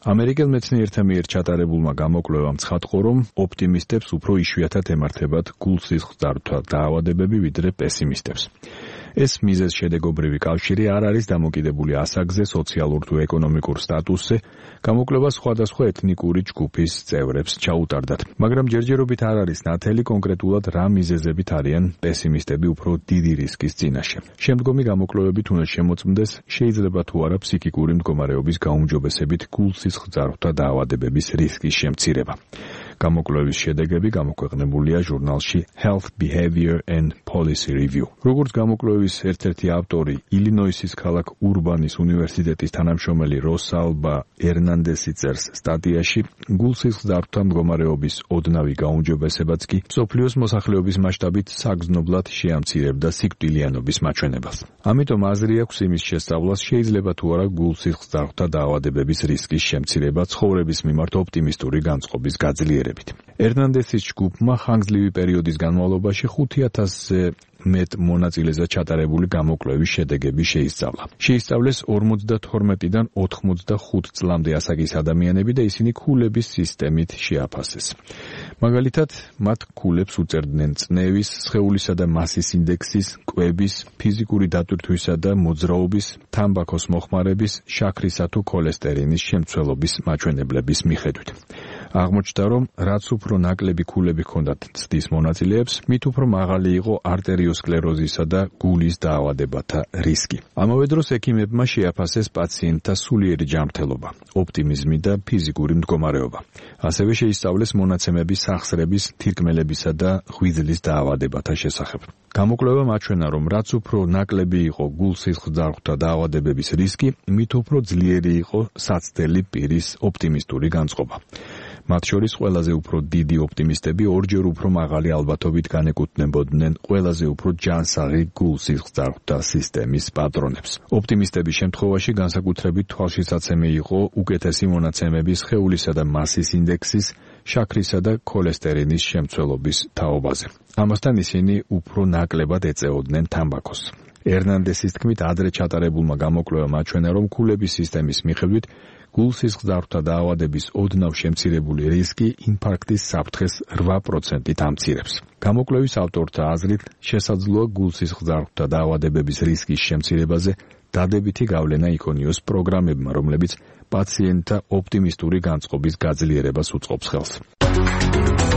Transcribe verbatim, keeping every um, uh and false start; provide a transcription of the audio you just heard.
ამერიკელ მეცნიერთა მიერ ჩატარებულმა გამოკვლევამ ცხადყო, რომ ოპტიმისტებს უფრო იშვიათად ემართებათ გულ-სისხლძარღვთა დაავადებები, ვიდრე პესიმისტებს. ეს მიზეზ-შედეგობრივი კავშირი არ არის დამოკიდებული ასაკზე, სოციალურ თუ ეკონომიკურ სტატუსზე, გამოკვლევა სხვადასხვა ეთნიკური ჯგუფის წევრებს ჩაუტარდათ, მაგრამ ჯერჯერობით არ არის ნათელი კონკრეტულად რა მიზეზებით არიან პესიმისტები უფრო დიდი რისკის წინაშე. შემდგომი გამოკვლევებით უნდა შემოწმდეს, შეიძლება თუ არა ფსიქიკური მდგომარეობის გაუმჯობესებით გულ-სისხლძარღვთა დაავადებების რისკის შემცირება. გამოკვლევის შედეგები გამოქვეყნებულია ჟურნალში Health Behavior and Policy Review. როგორც გამოკვლევის ერთ-ერთი ავტორი, ილინოისის ქალაქ ურბანის უნივერსიტეტის თანამშრომელი როსალბა ერნანდესი წერს სტატიაში, გულ-სისხლძარღვთა მდგომარეობის ოდნავი გაუმჯობესებაც კი მსოფლიოს მოსახლეობის მასშტაბით საგრძნობლად შეამცირებდა სიკვდილიანობის მაჩვენებელს. ამიტომ აზრი აქვს იმის შესწავლას, შეიძლება თუ არა გულ-სისხლძარღვთა დაავადებების რისკის შემცირება ცხოვრების მიმართ ოპტიმისტური განწყობის გაძლიერებით. ერნანდესის ჯგუფმა ხანგრძლივი პერიოდის განმავლობაში ხუთი ათასზე მეტ მონაწილეზე ჩატარებული გამოკვლევის შედეგები შეისწავლა. შეისწავლეს ორმოცდათორმეტიდან ოთხმოცდახუთ წლამდე ასაკის ადამიანები და ისინი ქულების სისტემით შეაფასეს. მაგალითად, მათ ქულებს უწევდნენ წნევის, სხეულისა და მასის ინდექსის, კვების, ფიზიკური დატვირთვისა და მოძრაობის, თამბაქოს მოხმარების, შაქრისა თუ ქოლესტერინის შემცველობის მაჩვენებლების მიხედვით. აღმოჩნდა, რომ რაც უფრო ნაკლები ქულები ჰქონდათ ცდის მონაწილეებს, მით უფრო მაღალი იყო არტერიოსკლეროზისა და გულის დაავადებათა რისკი. ამავე დროს ექიმებმა შეაფასეს პაციენტთა სულიერი ჯანმრთელობა, ოპტიმიზმი და ფიზიკური მდგომარეობა. ასევე შეისწავლეს მონაცემები სახსრების, თირკმელებისა და ღვიძლის დაავადებათა შესახებ. გამოკვლევამ აჩვენა, რომ რაც უფრო ნაკლები იყო გულ-სისხლძარღვთა დაავადებების რისკი, მით უფრო ძლიერი იყო საცდელი პირის ოპტიმისტური განწყობა. მათ შორის ყველაზე უფრო დიდი ოპტიმისტები ორჯერ უფრო მაღალი ალბათობით განეკუთვნებოდნენ ყველაზე უფრო ჯანსაღი გულ-სისხლძარღვთა სისტემის პატრონებს. ოპტიმისტების შემთხვევაში განსაკუთრებით თვალშისაცემი იყო უკეთესი მონაცემები სხეულისა და მასის ინდექსის, შაქრისა და ქოლესტერინის შემცველობის თაობაზე. ამასთან ისინი უფრო ნაკლებად ეწეოდნენ თამბაქოს. ერნანდესის თქმით, ადრე ჩატარებულმა გამოკვლევამ აჩვენა, რომ ქულების სისტემის მიხედვით გულ-სისხლძარღვთა დაავადების ოდნავ შემცირებული რისკი ინფარქტის საფრთხეს რვა პროცენტით ამცირებს. გამოკვლევის ავტორთა აზრით, შესაძლოა გულ-სისხლძარღვთა დაავადებების რისკის შემცირებაზე დადებითი გავლენა იქონიოს პროგრამებმა, რომლებიც პაციენტთა ოპტიმისტური განწყობის გაძლიერებას უწყობს ხელს.